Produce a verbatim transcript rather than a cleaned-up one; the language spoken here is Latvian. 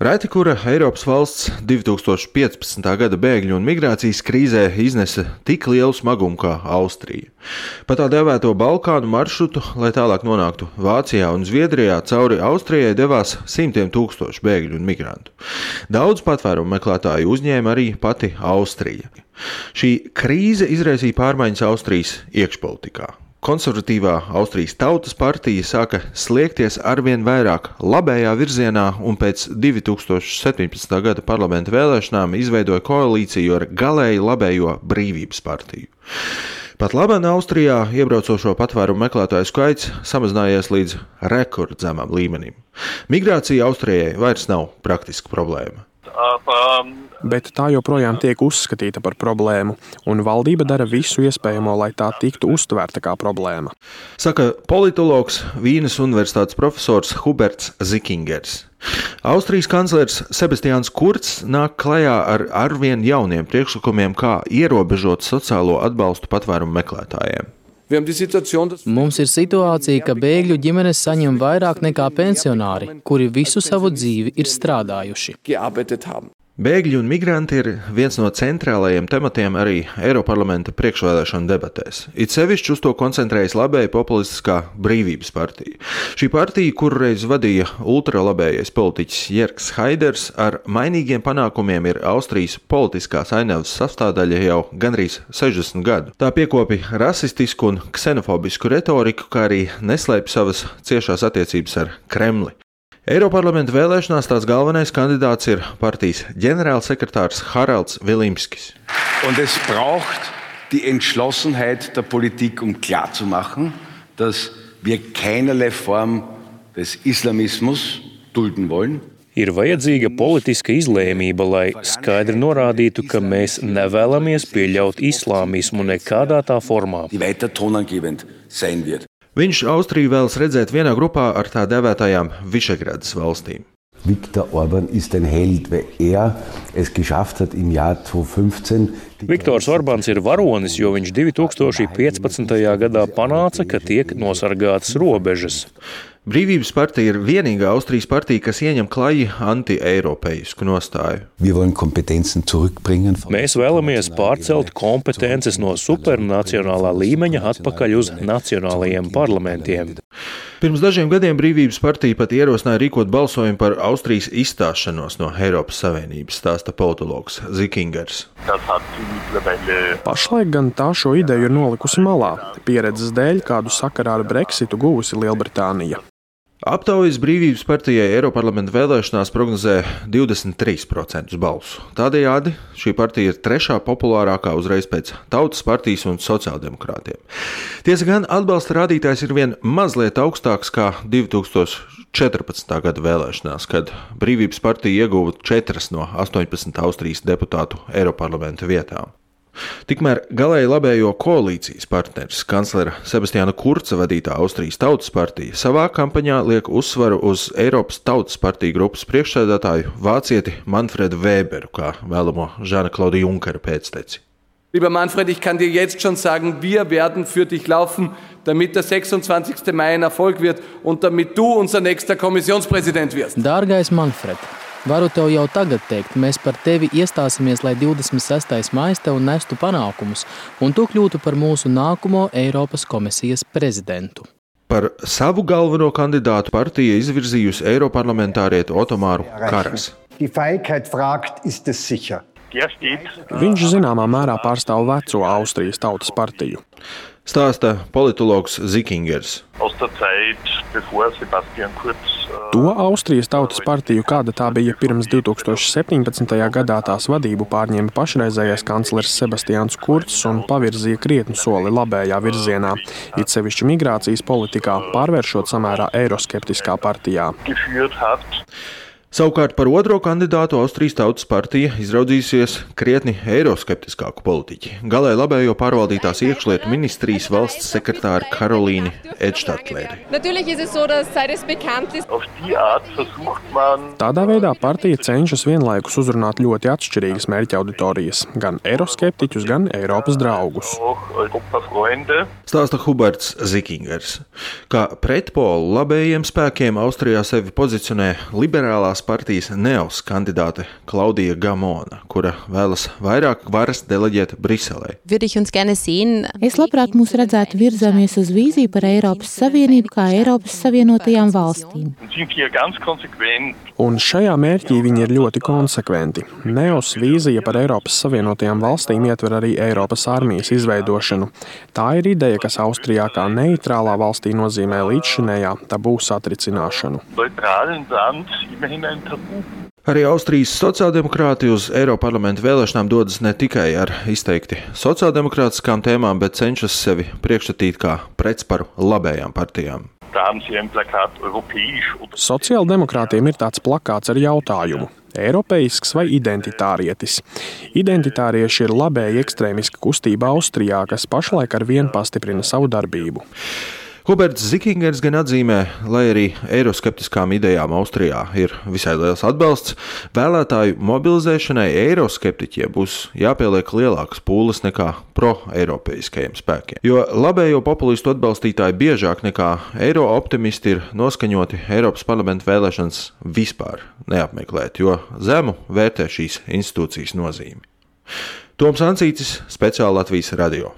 Reti kura Eiropas valsts divi tūkstoši piecpadsmitā gada bēgļu un migrācijas krīzē iznesa tik lielu smagumu kā Austrija. Pa tā dēvēto Balkānu maršrutu, lai tālāk nonāktu Vācijā un Zviedrijā, cauri Austrijai devās simtiem tūkstošu bēgļu un migrantu. Daudz patvērumu meklētāju uzņēma arī pati Austrija. Šī krīze izraisīja pārmaiņas Austrijas iekšpolitikā. Konservatīvā Austrijas Tautas partija sāka sliekties arvien vairāk labējā virzienā un pēc divi tūkstoši septiņpadsmitā gada parlamenta vēlēšanām izveidoja koalīciju ar galēji labējo Brīvības partiju. Pat labāk Austrijā iebraucošo patvērumu meklētāju skaits samazinājies līdz rekordzemam līmenim. Migrācija Austrijai vairs nav praktiska problēma. Bet tā joprojām tiek uzskatīta par problēmu, un valdība dara visu iespējamo, lai tā tiktu uztvērta kā problēma. Saka politologs, Vīnes universitātes profesors Huberts Zikingers. Austrijas kanclers Sebastians Kurz nāk klajā ar arvien jauniem priekšlikumiem, kā ierobežot sociālo atbalstu patvērumu meklētājiem. Mums ir situācija, ka bēgļu ģimenes saņem vairāk nekā pensionāri, kuri visu savu dzīvi ir strādājuši. Bēgļi un migranti ir viens no centrālajiem tematiem arī Eiroparlamenta priekšvēlēšanu debatēs. It sevišķi uz to koncentrējas labēja populistiskā Brīvības partija. Šī partija, kuru reiz vadīja ultralabējais politiķis Jērgs Haiders, ar mainīgiem panākumiem ir Austrijas politiskās ainavas sastāvdaļa jau gandrīz sešdesmit gadu. Tā piekopi rasistisku un ksenofobisku retoriku, kā arī neslēpj savas ciešās attiecības ar Kremli. Eiroparlamenta vēlēšanās tās galvenais kandidāts ir partijas ģenerālsekretārs Haralds Vilimskis. Und es braucht die Entschlossenheit der Politik, um klarzumachen, dass wir keinerlei Form des Islamismus dulden wollen. Ir vajadzīga politiska izlēmība, lai skaidri norādītu, ka mēs nevēlamies pieļaut islāmismu nekādā tā formā. Die weiter tonangebend sein wird. Viņš Austriju vēlas redzēt vienā grupā ar tā dēvētajām Visegradas valstīm. Viktor Orbán ist ein Held, weil er es geschafft hat im Jahr zweitausendfünfzehn. Viktors Orbāns ir varonis, jo viņš divi tūkstoši piecpadsmitajā gadā panāca, ka tiek nosargātas robežas. Brīvības partija ir vienīgā Austrijas partija, kas ieņem klaji anti-eiropeisku nostāju. Mēs vēlamies pārcelt kompetences no supernacionālā līmeņa atpakaļ uz nacionālajiem parlamentiem. Pirms dažiem gadiem Brīvības partija pat ierosināja rīkot balsojumu par Austrijas izstāšanos no Eiropas Savienības, stāsta politologs Zikingers. Pašlaik gan tā šo ideju ir nolikusi malā, pieredzes dēļ, kādu sakarā ar Brexitu guvusi Lielbritānija. Aptaujas Brīvības partijai Eiroparlamenta vēlēšanās prognozē divdesmit trīs procentus balsu. Tādējādi šī partija ir trešā populārākā uzreiz pēc Tautas partijas un sociāldemokrātiem. Tiesa gan atbalsta rādītājs ir vien mazliet augstāks kā divi tūkstoši četrpadsmitā gada vēlēšanās, kad Brīvības partija ieguva četras no astoņpadsmit Austrijas deputātu Eiroparlamenta vietām. Tikmēr galēji labējo koalīcijas partneris, kanclera Sebastiana Kurza vadītā Austrijas Tautas partija, savā kampaņā liek uzsvaru uz Eiropas Tautas partiju grupas priekšsēdētāju vācieti Manfredu Weberu, kā vēlamo Žana-Klauda Junkera pēcteci. Lieber Manfred, ich kann dir jetzt schon sagen, wir werden für dich laufen, damit der sechsundzwanzigsten Mai ein Erfolg wird und damit du unser nächster Kommissionspräsident wirst. Dārgais Manfred, varu tev jau tagad teikt, mēs par tevi iestāsimies, lai divdesmit sestais maijs tev nestu panākumus, un tu kļūtu par mūsu nākamo Eiropas komisijas prezidentu. Par savu galveno kandidātu partija izvirzījusi eiroparlamentārietu Otomāru Karasu. Die Feigheit fragt, ist es sicher? Viņš zināmā mērā pārstāv veco Austrijas Tautas partiju. Stāsta politologs Zikingers. To Austrijas Tautas partiju, kāda tā bija pirms divi tūkstoši septiņpadsmitajā gadā, tās vadību pārņēma pašreizējais kanclers Sebastians Kurz un pavirzīja krietnu soli labējā virzienā, it sevišķi migrācijas politikā, pārvēršot samērā eiroskeptiskā partijā. Savukārt par otro kandidātu Austrijas Tautas partija izraudzījusies krietni eiroskeptiskāku politiķi. Galēji labējo pārvaldītās iekšlietu ministrijas valsts sekretāri Karolīni Edštatleri. Tādā veidā partija cenšas vienlaikus uzrunāt ļoti atšķirīgas mērķa auditorijas, gan eiroskeptiķus, gan Eiropas draugus. Stāsta Huberts Zikingers. Kā pretpolu labējiem spēkiem Austrijā sevi pozicionē liberālās partijas Neos kandidāte Klaudija Gamona, kura vēlas vairāk varas deleģēt Briselē. Es labprāt mūs redzētu virzāmies uz vīziju par Eiropas Savienību kā Eiropas Savienotajām valstīm. Un šajā mērķī viņi ir ļoti konsekventi. Neos vīzija par Eiropas Savienotajām valstīm ietver arī Eiropas armijas izveidošanu. Tā ir ideja, kas Austrijā kā neitrālā valstī nozīmē līdzšinējā tabū satricināšanu. Arī Austrijas sociāldemokrāti uz Eiroparlamenta vēlēšanām dodas ne tikai ar izteikti sociāldemokrātiskām tēmām, bet cenšas sevi priekšstatīt kā pretsparu labējām partijām. Sociāldemokrātiem ir tāds plakāts ar jautājumu: eiropeisks vai identitārietis? Identitārieši ir labēji ekstrēmiska kustība Austrijā, kas pašlaik ar vienu pastiprina savu darbību. Huberts Zikingers gan atzīmē, lai arī eiroskeptiskām idejām Austrijā ir visai liels atbalsts, vēlētāju mobilizēšanai eiroskeptiķiem būs jāpieliek lielākas pūles nekā pro-eiropeiskajiem spēkiem. Jo labējo populistu atbalstītāji biežāk nekā eiro-optimisti ir noskaņoti Eiropas parlamenta vēlēšanas vispār neapmeklēt, jo zemu vērtē šīs institūcijas nozīmi. Toms Ancītis, speciāli Latvijas radio.